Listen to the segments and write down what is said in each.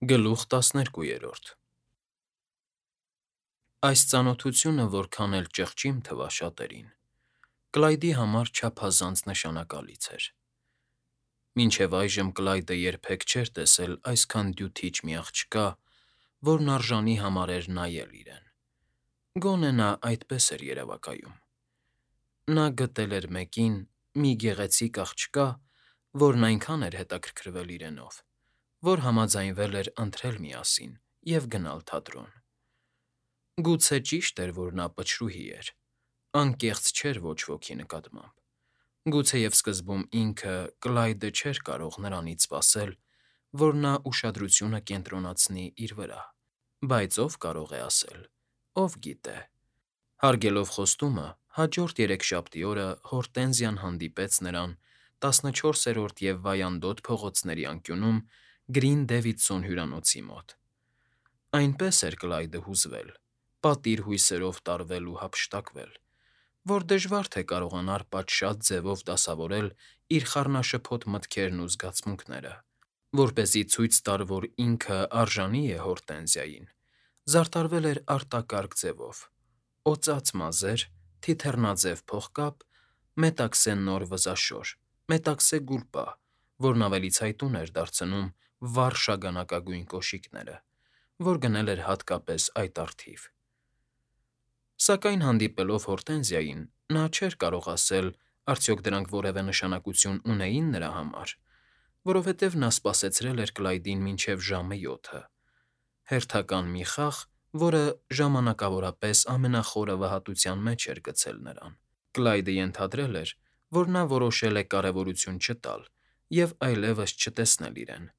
Գլուխ 12։ Այս ծանոթությունը որքան էլ ճղճիմ թվա շատերին, Կլայդի համար չափազանց նշանակալից էր։ Մինչև այժմ Կլայդը երբեք չէր տեսել այսքան դյութիչ մի աղջկա, որն արժանի համարեր նայել իրեն։ Գոնե նա այդպես էր երևակայում։ Նա գտել էր մեկին, մի գեղեցիկ աղջկա, որն այնքան էր հետաքրքրվել իրենով, որ համաձայնվել էր ընթրել միասին և գնալ թատրոն։ Գուցե ճիշտ էր, որ նա պչրուհի էր, անկեղծ չէր ոչ ոքի նկատմամբ։ Գուցեև սկզբում ինքը՝ Կլայդը չէր կարող նրանից սպասել, որ նա ուշադրությունը կենտրոնացնի իր վրա, բայց ով կարող է ասել, ով գիտե։ Հարգելով խոստումը, հաջորդ երեքշաբթի օրը Հորտենզիան հանդիպեց նրան 14-րդ և Վայանդոտ փողոցների անկյունում Գրին Դեվիդսոն հյուրանոցի մոտ։ Այնպես էր Կլայդը հուզվել, պատիր հույսերով տարվել ու հափշտակվել, որ դժվար թե կարողանար պատշաճ ձևով դասավորել իր խառնաշփոթ մտքերն ու զգացմունքները, որպեսզի ցույց տար, որ ինքը արժանի է Հորտենզիային, զարդարվել էր արտակարգ ձևով. օծած մազեր, թիթեռնաձև փողկապ, մետաքսե նոր վզաշոր, մետաքսե գուլպա, որն ավելի ցայտուն էր դարձնում վառ շագանակագույն կոշիկները, որ գնել էր հատկապես այդ առթիվ։ Սակայն հանդիպելով Հորտենզիային, նա չէր կարող ասել, արդյոք դրանք որևէ նշանակություն ունեին նրա համար, որովհետև նա սպասեցրել էր Կլայդին մինչև ժամը 7-ը, հերթական մի խաղ, որը ժամանակավորապես ամենախորը վհատության մեջ էր գցել նրան։ Կլայդը ենթադրել էր, որ նա որոշել է կարևորություն չտալ և այլևս չտեսնել իրեն։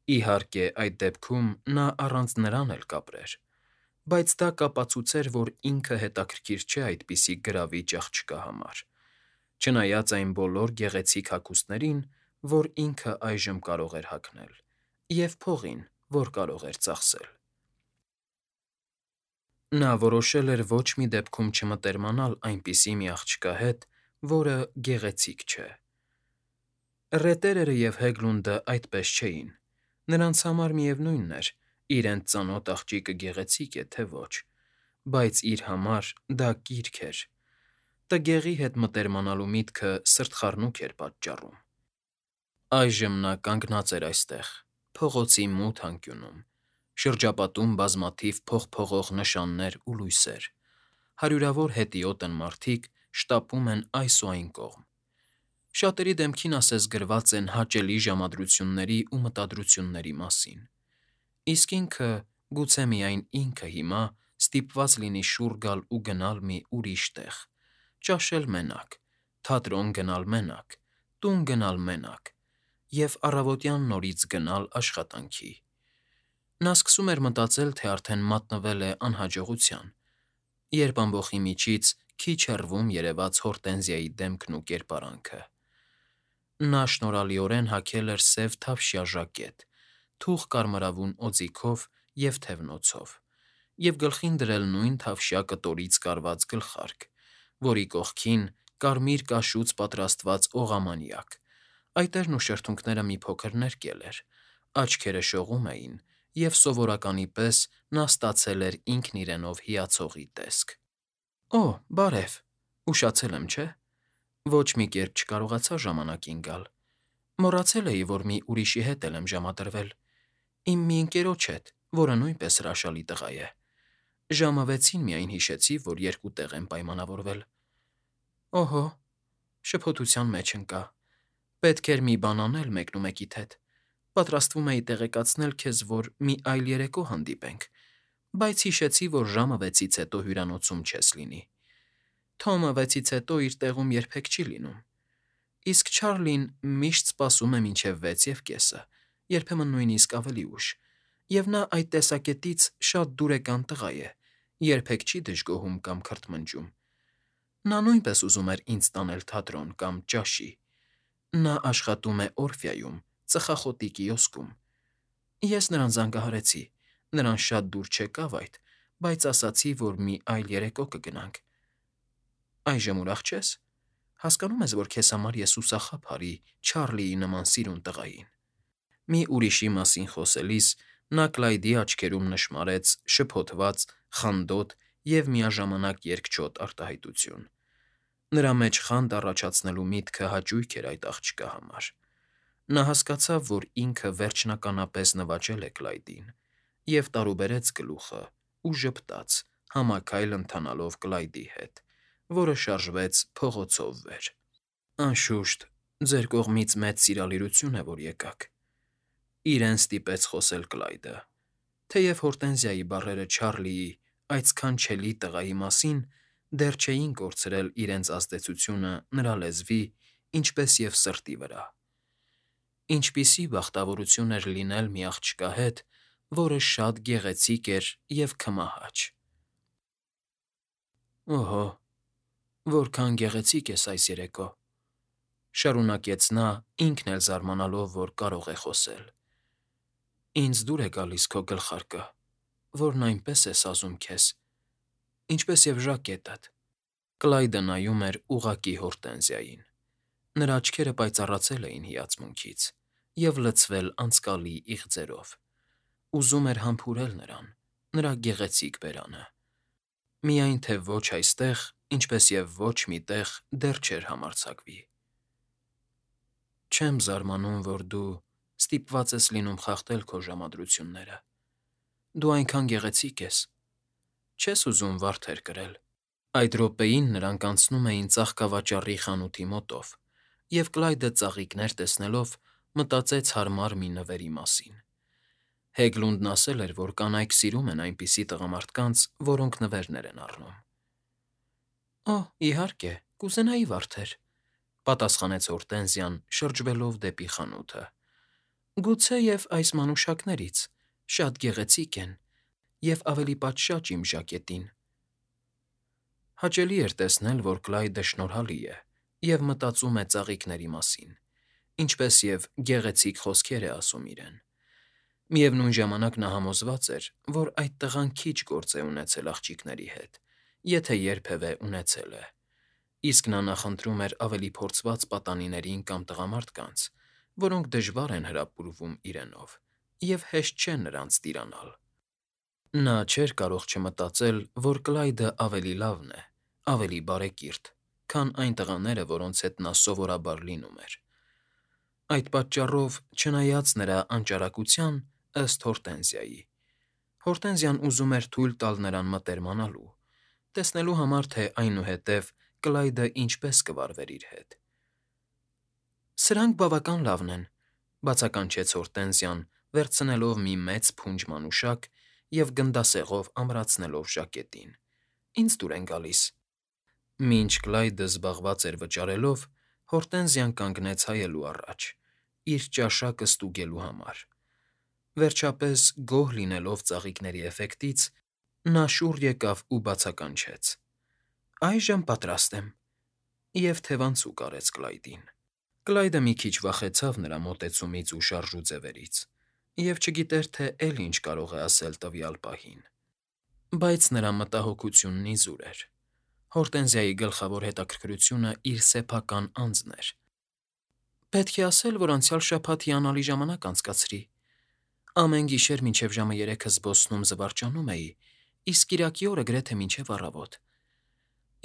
Իհարկե, այդ դեպքում նա առանց նրան էլ կապրեր, բայց դա կապացուցեր, որ ինքը հետաքրքիր չէ այդպիսի գրավիչ աղջկա համար, չնայած այն բոլոր գեղեցիկ հագուստներին, որ ինքը այժմ կարող էր հագնել, և փողին, որ կարող էր ծախսել։ Նա որոշել էր ոչ մի դեպքում չմտերմանալ այնպիսի մի աղջկա հետ, որը գեղեցիկ չէ։ Ռետերերը և Հեգլունդը այդպես չէին, նրանց համար միևնույն էր՝ իրենց ծանոթ աղջիկը գեղեցիկ է, թե ոչ, բայց իր համար դա կիրք էր, տգեղի հետ մտերմանալու միտքը սրտխառնուկ էր պատճառում։ Այժմ նա կանգնած էր այստեղ, փողոցի մութ անկյունում, շրջապատում բազմաթիվ փողփողող նշաններ ու լույսեր, հարյուրավոր հետիոտն մարդիկ շտապում են այս ու այն կողմ։ Շատերի դեմքին ասես գրված են հաճելի ժամադրությունների ու մտադրությունների մասին, իսկ ինքը, գուցե միայն ինքը հիմա ստիպված լինի շուռ գալ ու գնալ մի ուրիշ տեղ, ճաշել մենակ, թատրոն գնալ մենակ, տուն գնալ մենակ և առավոտյան նորից գնալ աշխատանքի։ Նա սկսում էր մտածել, թե արդեն մատնվել է անհաջողության, երբ ամբոխի միջից քիչ հեռվում երևաց Հորտենզիայի դեմքն ու կերպարանքը։ Նա շնորհալիորեն հագել էր սև թավշյա ժակետ, թուխ կարմրավուն օձիքով և թևնոցով, և գլխին դրել նույն թավշյա կտորից կարված գլխարկ, որի կողքին կարմիր կաշուց պատրաստված օղամանյակ, այտերն ու շրթունքները մի փոքր ներկել էր, աչքերը շողում էին, և սովորականի պես նա ստացել էր ինքն իրենով հիացողի տեսք։ «Օ, բարև, ուշացել եմ, չէ՞, ոչ մի կերպ չկարողացա ժամանակին գալ, մոռացել էի, որ մի ուրիշի հետ էլ եմ ժամադրվել, իմ մի ընկերոջ հետ, որը նույնպես հրաշալի տղա է։ Ժամը 6-ին միայն հիշեցի, որ երկու տեղ եմ պայմանավորվել»։ «Օհո», շփոթության մեջ ընկա, «պետք էր մի բան անել մեկնումեկիդ հետ, պատրաստվում էի տեղեկացնել քեզ, որ մի այլ երեկո հանդիպենք, բայց հիշեցի, որ ժամը 6-ից հետո հյուրանոցում չես լինի։ Թոմը 6-ից հետո իր տեղում երբեք չի լինում, իսկ Չարլին միշտ սպասում է մինչև 6:30, երբեմն նույնիսկ ավելի ուշ, և նա այդ տեսակետից շատ դուրեկան տղա է, երբեք չի դժգոհում կամ քրթմնջում։ Նա նույնպես ուզում էր ինձ տանել թատրոն կամ ճաշի։ Նա աշխատում է Օրֆեայում, ծխախոտի կիոսկում։ Ես նրան զանգահարեցի, նրան շատ դուր չեկավ այդ, բայց ասացի, որ մի այլ երեկո կգնանք։ Այժմ ուրախ չե՞ս։ Հասկանում ես, որ քեզ համար ես ուսախաբ հարի Չարլիի նման սիրուն տղային։ Մի ուրիշի մասին խոսելիս Նա Կլայդի աչքերում նշմարեց շփոթված, խանդոտ և միաժամանակ երկչոտ արտահայտություն։ Նրա մեջ խանդ առաջացնելու միտքը հաճույք էր այդ աղջկա համար։ Նա հասկացավ, որ ինքը վերջնականապես նվաճել է Կլայդին, և տարուբերեց գլուխը ու ժպտաց, համաքայլ ընթանալով Կլայդի հետ, որը շարժվեց փողոցով վեր։ Անշուշտ, ձեր կողմից մեծ սիրալիրություն է, որ եկաք, իրեն ստիպեց խոսել Կլայդը, թեև Հորտենզիայի բառերը Չարլիի, այդ սքանչելի տղայի մասին դեռ չէին կորցրել իրենց ազդեցությունը նրա լեզվի, ինչպես և սրտի վրա։ Ինչպիսի բախտավորություն էր լինել մի աղջկա հետ, որը շատ գեղեցիկ էր և քմահաճ։ «Օհո, որքան գեղեցիկ ես այս երեկո», շարունակեց նա, ինքն էլ զարմանալով, որ կարող է խոսել։ «Ինձ դուր է գալիս քո գլխարկը, որն այնպես է սազում քեզ, ինչպես և ժակետդ»։ Կլայդը նայում էր ուղղակի Հորտենզիային։ Նրա աչքերը պայծառացել էին հիացմունքից և լցվել անցկալի իղձերով։ Ուզում էր համբուրել նրան, նրա գեղեցիկ բերանը։ Միայն թե ոչ այստեղ, ինչպես և ոչ մի տեղ դեռ չէր համարձակվի։ «Չեմ զարմանում, որ դու ստիպված ես լինում խախտել քո ժամադրությունները։ Դու այնքան գեղեցիկ ես։ Չես ուզում վարդեր կրել»։ Այդ րոպեին նրանք անցնում էին ծաղկավաճառի խանութի մոտով, և Կլայդը ծաղիկներ տեսնելով մտածեց հարմար մի նվերի մասին։ Հեգլունդն ասել էր, որ կանայք սիրում են այնպիսի տղամարդկանց, որոնք նվերներ են առնում։ «Օ, իհարկե, կուզենայի վարդեր», պատասխանեց Հորտենզիան, շրջվելով դեպի խանութը։ «Գուցեև այս մանուշակներից շատ գեղեցիկ են և ավելի պատշաճ իմ ժակետին»։ Հաճելի էր տեսնել, որ Կլայդը շնորհալի է և մտածում է ծաղիկների մասին, ինչպես և գեղեցիկ խոսքեր է ասում իրեն։ Միևնույն ժամանակ նա համոզված էր, որ այդ տղան քիչ գործ է ունեցել աղջիկների հետ, եթե երբևէ ունեցել է, իսկ նա նախընտրում էր ավելի փորձված պատանիներին կամ տղամարդկանց, որոնք դժվար են հրապուրվում իրենով և հեշտ չէ նրանց տիրանալ։ Նա չէր կարող չմտածել, որ Կլայդը ավելի լավն է, ավելի բարեկիրթ, քան այն տղաները, որոնց հետ նա սովորաբար լինում էր։ Այդ պատճառով, չնայած նրա անճարակության, ըստ Հորտենզիայի, Հորտենզիան ուզում էր թույլ տալ նրան մտերմանալու, տեսնելու համար, թե այնուհետև Կլայդը ինչպես կվարվեր իր հետ։ «Սրանք բավական լավն են», բացականչեց Հորտենզիան, վերցնելով մի մեծ փունջ մանուշակ և գնդասեղով ամրացնելով ժակետին։ «Ինձ դուր են գալիս»։ Մինչ Կլայդը զբաղված էր վճարելով, Հորտենզիան կանգնեց հայելու առաջ, իր ճաշակը ստուգելու համար։ Վերջապես, գոհ լինելով ծաղիկների էֆեկտից, նա շուռ եկավ ու բացականչեց. «Այժմ պատրաստ եմ», և թևանցուկ արեց Կլայդին։ Կլայդը մի քիչ վախեցավ նրա մոտեցումից ու շարժու ձևերից և չգիտեր, թե էլ ինչ կարող է ասել տվյալ պահին։ Բայց նրա մտահոգությունն իզուր էր։ Հորտենզիայի գլխավոր հետաքրքրությունը իր սեփական անձն էր։ «Պետք է ասել, որ անցյալ շաբաթ հիանալի ժամանակ անցկացրի։ Ամեն գիշեր մինչև ժամը 3-ը զբոսնում զվարճանում էի, իսկ կիրակի օրը գրեթե մինչև առավոտ։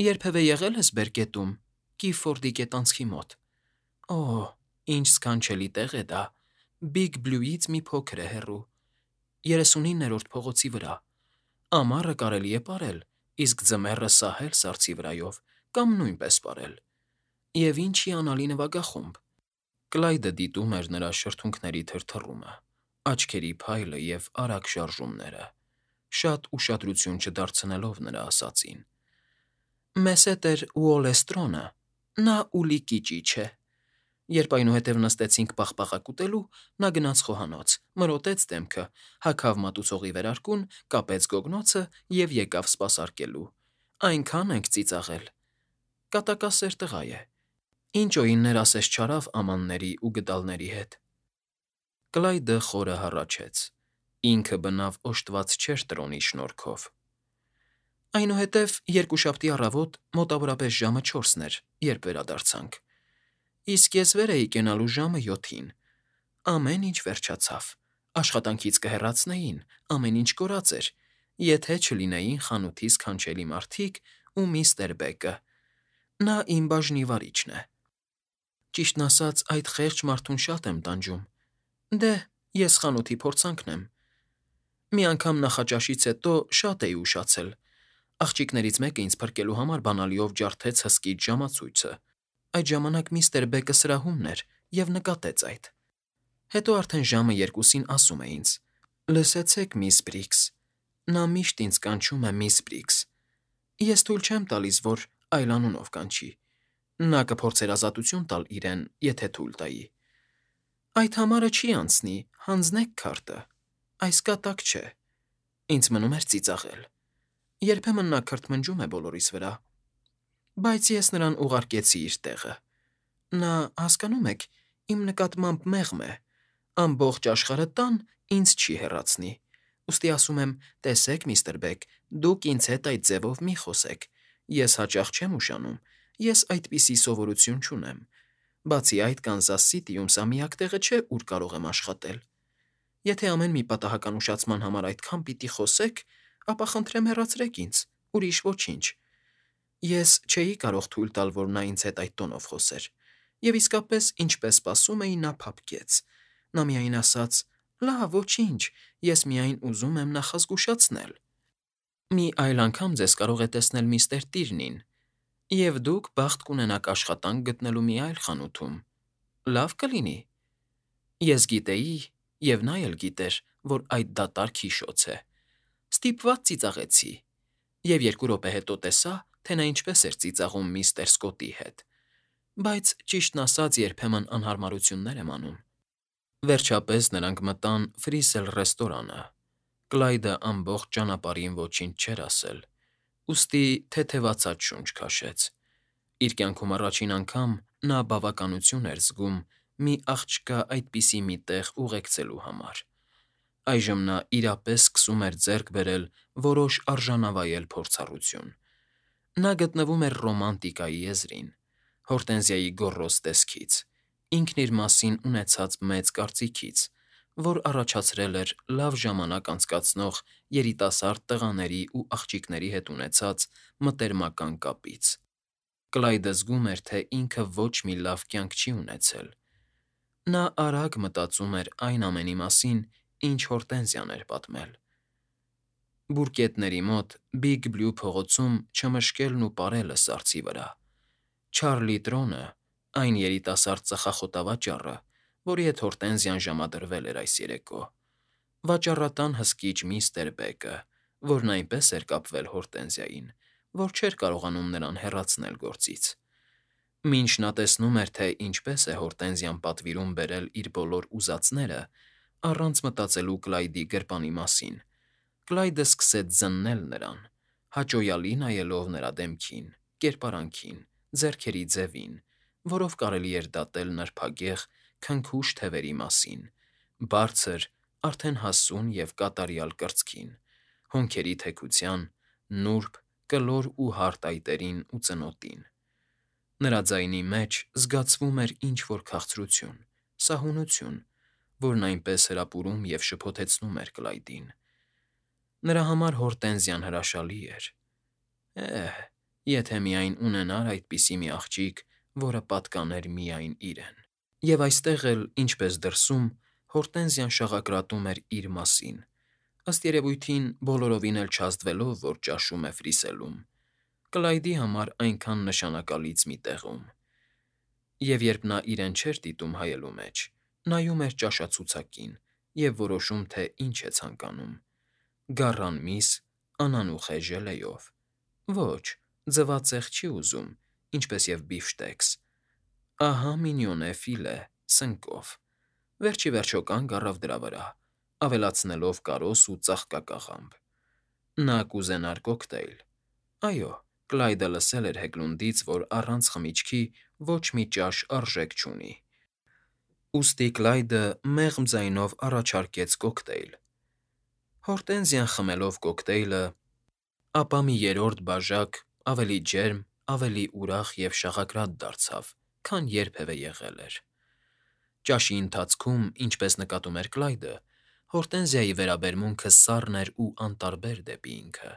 Երբևէ եղե՞լ ես Բերկետում, Կիֆորդի գետանցքի մոտ։ Օ, ինչ սքանչելի տեղ է դա, Բիգ Բլյուից մի փոքր է հեռու, 39-րդ փողոցի վրա։ Ամառը կարելի է պարել, իսկ ձմեռը սահել սառցի վրայով կամ նույնպես պարել։ Եվ ինչ հիանալի նվագախումբ»։ Կլայդը դիտում էր նրա շրթունքների թրթռումը, աչքերի փայլը և արագ շարժումները, շատ ուշադրություն չդարձնելով նրա ասածին։ «Մեզ հետ էր Ուոլլեստրոնը, նա Ուլիկի ճիչ է։ Երբ այնուհետև նստեցինք պաղպաղակ ուտելու, նա գնաց խոհանոց, մրոտեց դեմքը, հագավ մատուցողի վերարկուն, կապեց գոգնոցը և եկավ սպասարկելու։ Այնքան ենք ծիծաղել։ Կատակասեր տղա է։ Ինչ օիններ ասես չարավ ամանների ու գդալների հետ»։ Կլայդը խորը հառաչեց։ Ինքը բնավ օժտված չէր տրոնի շնորհքով։ «Այնուհետև երկուշաբթի առավոտ մոտավորապես ժամը 4-ն էր, երբ վերադարձանք։ Իսկ ես վեր էի կենալու ժամը 7-ին։ Ամեն ինչ վերջացավ։ Աշխատանքից կհեռացնեին, ամեն ինչ կորած էր, եթե չլինեին խանութի սքանչելի մարդիկ ու միստր Բեգը։ Նա իմ բաժնի վարիչն է։ Ճիշտն ասած, այդ խեղճ մարդուն շատ եմ տանջում։ Դե, ես խանութի փորձանքն եմ։ Մի անգամ նախաճաշից հետո շատ էի ուշացել։ Աղջիկներից մեկը ինձ փրկելու համար բանալիով ջարդեց հսկիչ ժամացույցը։ Այդ ժամանակ միստր Բեկը սրահումն էր և նկատեց այդ։ Հետո արդեն ժամը 2-ին ասում է ինձ. «Լսեցեք, միս Բրիգս»։ Նա միշտ ինձ կանչում է միս Բրիգս։ Ես թույլ չեմ տալիս, որ այլ անունով կանչի։ Նա կփորձեր ազատություն տալ իրեն, եթե թույլ տայի։ Այդ համարը չի անցնի, հանձնեք քարտը։ Այս կատակ չէ։ Ինձ մնում էր ծիծաղել։ Երբեմն նա քրթմնջում է բոլորիս վրա։ Բայց ես նրան ուղարկեցի իր տեղը։ Նա, հասկանո՞ւմ եք, իմ նկատմամբ մեղմ է։ Ամբողջ աշխարհը տան ինձ չի հեռացնի։ Ուստի ասում եմ, տեսեք, միստր Բեգ, դուք ինձ հետ այդ ձևով մի խոսեք։ Ես հաճախ չեմ ուշանում, ես այդպիսի սովորություն չունեմ։ Բացի այդ, Կանզաս Սիթիում սա միակ տեղը չէ, ուր կարող եմ աշխատել։ Եթե ամեն մի պատահական ուշացման համար այդքան պիտի խոսեք, ապա խնդրեմ հեռացրեք ինձ, ուրիշ ոչինչ։ Ես չէի կարող թույլ տալ, որ նա ինձ հետ այդ տոնով խոսեր։ Եվ իսկապես, ինչպես սպասում էի, նա փափկեց։ Նա միայն ասաց. «Լավ, ոչինչ, ես միայն ուզում եմ նախազգուշացնել։ Մի այլ անգամ ձեզ կարող է տեսնել միստր Տիրնին, և դուք բախտ կունենաք աշխատանք գտնելու մի այլ խանութում։ Լավ կլինի»։ Ես գիտեի, և նա էլ գիտեր, որ այդ դատարկ հիշոց է։ Ստիպված ծիծաղեցի, և 2 րոպե հետո տեսա, թե նա ինչպես էր ծիծաղում միստր Սկոտի հետ։ Բայց, ճիշտն ասած, երբեմն անհարմարություններ եմ անում։ Վերջապես նրանք մտան Ֆրիսել ռեստորանը։ Կլայդը ամբողջ ճանապարհին ոչինչ չէր ասել, ուստի թեթևացած շունչ քաշեց։ Իր կյանքում առաջին անգամ նա բավականություն էր զգում մի աղջկա այդպիսի մի տեղ ուղեկցելու համար։ Այժմ նա իրապես սկսում էր ձեռք բերել որոշ արժանավայել փորձառություն։ Նա գտնվում էր ռոմանտիկայի եզրին, Հորտենզիայի գոռոզ տեսքից, ինքն իր մասին ունեցած մեծ կարծիքից, որ առաջացրել էր լավ ժամանակ անցկացնող երիտասարդ տղաների ու աղջիկների հետ ունեցած մտերմական կապից։ Կլայդը զգում էր, թե ինքը ոչ մի լավ կյանք չի ունեցել։ Նա արագ մտածում էր այն ամենի մասին, ինչ Հորտենզիան էր պատմել։ Բուրկետների մոտ Բիգ Բլյու փողոցում չմշկելն ու պարելը սառցի վրա։ Չարլի Տրոնը, այն երիտասարդ ծխախոտավաճառը, որի հետ Հորտենզիան ժամադրվել էր այս երեկո։ Վաճառատան հսկիչ միստր Բեգը, որն այնպես էր կապվել Հորտենզիային, որ չէր կարողանում նրան հեռացնել գործից։ Մինչ նա տեսնում էր, թե ինչպես է Հորտենզիան պատվիրում բերել իր բոլոր ուզածները, առանց մտածելու Կլայդի գրպանի մասին, Կլայդը սկսեց զննել նրան, հաճոյալի նայելով նրա դեմքին, կերպարանքին, ձեռքերի ձևին, որով կարելի էր դատել նրբագեղ, քնքուշ թևերի մասին, բարձր, արդեն հասուն և կատարյալ կրծքին, հոնքերի թեքության, նուրբ, կլոր ու հարթ այտերին ու ծնոտին։ Նրա ձայնի մեջ զգացվում էր ինչ֊որ քաղցրություն, սահունություն, որն այնպես հրապուրում և շփոթեցնում էր Կլայդին։ Նրա համար Հորտենզիան հրաշալի էր։ Եթե միայն ունենար այդպիսի մի աղջիկ, որը պատկաներ միայն իրեն։ Եվ այստեղ էլ, ինչպես դրսում, Հորտենզիան շաղակրատում էր իր մասին, ըստ երևույթին բոլորովին էլ չազդվելով, որ ճաշում է Ֆրիսելում, Կլայդի համար այնքան նշանակալից մի տեղում։ Եվ երբ նա իրեն չէր դիտում հայելու մեջ, նայում էր ճաշացուցակին և որոշում, թե ինչ է ցանկանում. գառան միս, անանուխ է ժելեյով։ Ոչ, ձվածեղ չի ուզում, ինչպես և բիֆշտեքս։ Ահա մինյոնե ֆիլե, սնկով։ Վերջ ի վերջո կանգ առավ դրա վրա, ավելացնելով կարոս ու ծաղկակաղամբ։ Նա կուզենար կոկտեյլ։ Այո, Կլայդը լսել էր Հեգլունդից, որ առանց խմիչքի ոչ մի ճաշ արժեք չունի։ Ուստի Կլայդը մեղմ ձայնով առաջարկեց կոկտեյլ։ Հորտենզիան խմելով կոկտեյլը, ապա մի երրորդ բաժակ ավելի ջերմ, ավելի ուրախ և շաղակրատ դարձավ, քան երբևէ եղել էր։ Ճաշի ընթացքում, ինչպես նկատում էր Կլայդը, Հորտենզիայի վերաբերմունքը սառն էր ու անտարբեր դեպի ինքը։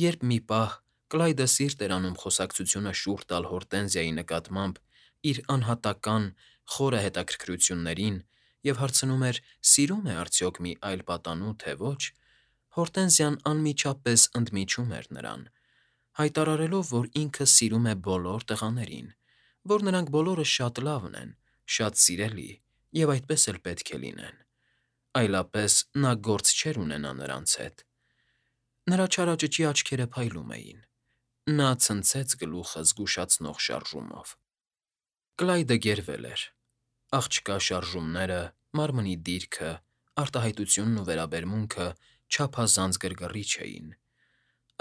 Երբ մի պահ Կլայդը սիրտ էր անում խոսակցությունը շուռ տալ Հորտենզիայի նկատմամբ իր անհատական խորը հետաքրքրություններին և հարցնում էր՝ սիրում է արդյոք մի այլ պատանու, թե ոչ, Հորտենզիան անմիջապես ընդմիջում էր նրան, հայտարարելով, որ ինքը սիրում է բոլոր տղաներին, որ նրանք բոլորը շատ լավն են, շատ սիրելի և այդպես էլ պետք է լինեն, այլապես նա գործ չէր ունենա նրանց հետ։ Նրա չարաճճի աչքերը փայլում էին։ Նա ցնցեց գլուխը զգուշացնող շարժումով։ Կլայդը գերվել էր։ Աղջկա շարժումները, մարմնի դիրքը, արտահայտությունն ու վերաբերմունքը չափազանց գրգռիչ էին։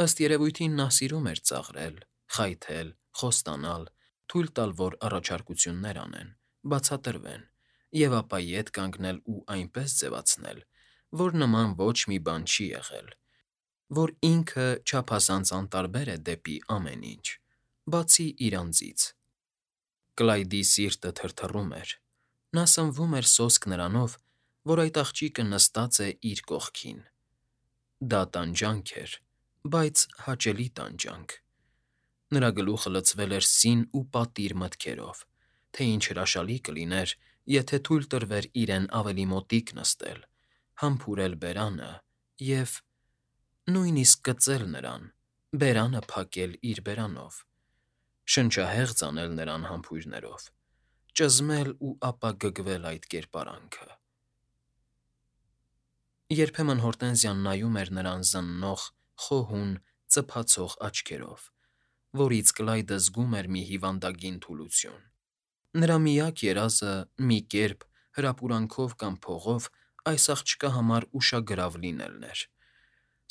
Ըստ երևույթին նա սիրում էր ծաղրել, խայթել, խոստանալ, թույլ տալ, որ առաջարկություններ անեն, բացատրվեն, և ապա ետ կանգնել ու այնպես ձևացնել, որ նման ոչ մի բան չի եղել, որ ինքը չափազանց անտարբեր է դեպի ամեն ինչ, բացի իր անձից։ Կլայդի սիրտը թրթռում էր։ Նա սնվում էր սոսկ նրանով, որ այդ աղջիկը նստած է իր կողքին։ Դա տանջանք էր, բայց հաճելի տանջանք։ Նրա գլուխը լցվել էր սին ու պատիր մտքերով, թե ինչ հրաշալի կլիներ, եթե թույլ տրվեր իրեն ավելի մոտիկ նստել, համբուրել բերանը և… նույնիսկ կծել նրան, բերանը փակել իր բերանով, շնչահեղձ անել նրան համբույրներով, ճզմել ու ապա գգվել այդ կերպարանքը… Երբեմն Հորտենզիան նայում էր նրան զննող, խոհուն, ծփացող աչքերով, որից Կլայդը զգում էր մի հիվանդագին թուլություն։ Նրա միակ երազը մի կերպ, հրապուրանքով կամ փողով այս աղջկա համար ուշագրավ լինելն էր,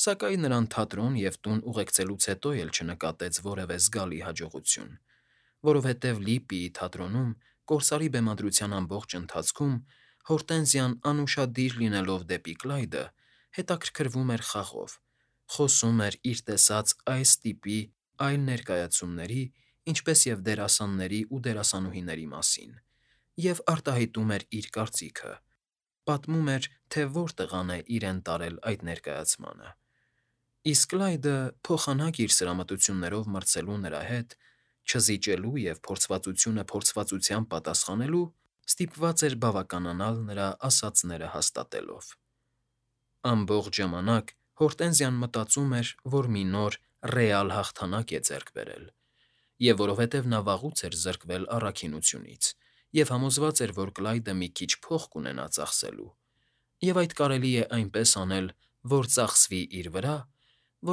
սակայն նրան թատրոն և տուն ուղեկցելուց հետո էլ չնկատեց որևէ զգալի հաջողություն, որովհետև Լիպպիի թատրոնում կորսարի բեմադրության ամբողջ ընթացքում Հորտենզիան անուշադիր լինելով դեպի Կլայդը, հետաքրքրվում էր խաղով, խոսում էր իր տեսած այս տիպի այլ ներկայացումների, ինչպես և դերասանների ու դերասանուհիների մասին, և արտահայտում էր իր կարծիքը, պատմում էր, թե որ տղան է իրեն տարել այդ ներկայացմանը։ Իսկ Կլայդը, փոխանակ իր սրամտություններով մրցելու նրա հետ, չզիջելու և փորձվածությունը փորձվածությամբ պատասխանելու, ստիպված էր բավականանալ նրա ասածները հաստատելով։ Ամբողջ ժամանակ Հորտենզիան մտածում էր, որ մի նոր, ռեալ հաղթանակ է ձեռք բերել, և որովհետև նա վաղուց էր զրկվել առաքինությունից և համոզված էր, որ Կլայդը մի քիչ փող կունենա ծախսելու, և այդ կարելի է այնպես անել, որ ծախսվի իր վրա,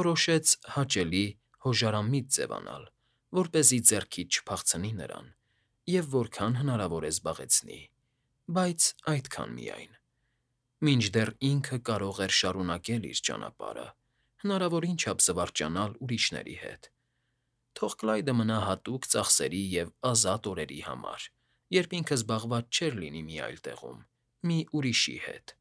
որոշեց հաճելի, հոժարամիտ ձևանալ, որպեսզի ձեռքից չփախցնի նրան և որքան հնարավոր է զբաղեցնի, բայց այդքան միայն, մինչդեռ ինքը կարող էր շարունակել իր ճանապարհը, հնարավորին չափ զվարճանալ ուրիշների հետ։ Թող Կլայդը մնա հատուկ ծախսերի և ազատ օրերի համար, երբ ինքը զբաղված չէր լինի մի այլ տեղում, մի ուրիշի հետ։